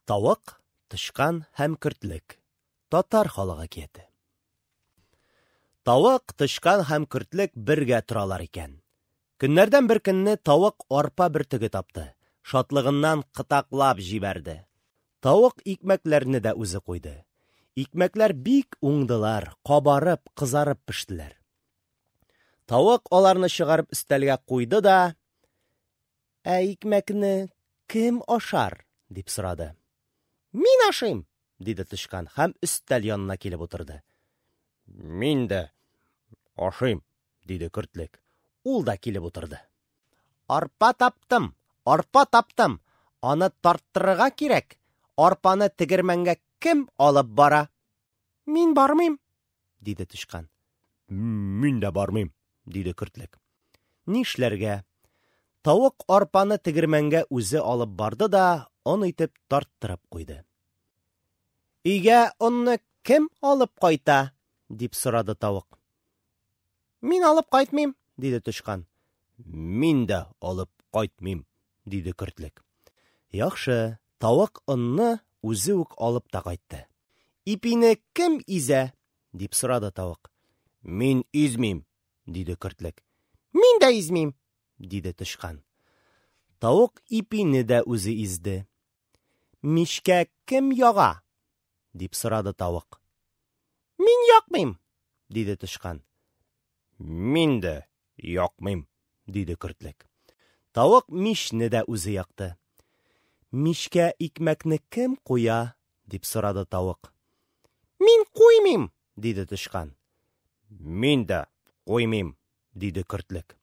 Тавык, тычкан һәм көртлек. Татар халык әкияте. Тавык, тычкан һәм көртлек бергә торалар икән. Көннәрдән бер көнне тавык арпа бөртеге тапты. Шатлыгыннан кытаклап җибәрде. Тавык икмәкләрне дә үзе куйды. Икмәкләр бик уңдылар, кабарып, кызарып пештеләр. Тавык аларны чыгарып өстәлгә куйды да, Ә икмәкне кем ашар? дип сорады. Мин ашыйм, диде тычкан һәм өстәл янына килеп утырды. Мин дә ашыйм, диде көртлек. Ул да килеп утырды. Арпа таптым, арпа таптым. Аны тарттырырга кирәк. Арпаны тегермәнгә кем алып бара? Мин бармыйм, диде тычкан. Мин дә бармыйм, диде көртлек. Нишләргә? Тавык арпаны тегермәнгә үзе алып барды да, он итеп тарттырып куйды. Өйгә онны кем алып кайта? дип сорады тавык. Мин алып кайтмыйм, диде тычкан. Мин дә алып кайтмыйм, диде көртлек. Яхшы, тавык онны үзе үк алып та кайтты. Ипине кем изә? дип сорады тавык. Мин измим, диде көртлек. Мин дә измим, диде тычкан. Тавык ипине дә үзе изде. Мичкә кем яга? дип сорады тавык. Мин якмыйм, диде тычкан. Мин дә якмыйм, диде көртлек. Тавык мичне дә үзе якты. Мичкә икмәкне кем куя? дип сорады тавык. Мин куймыйм, диде тычкан. Мин дә куймыйм, диде көртлек.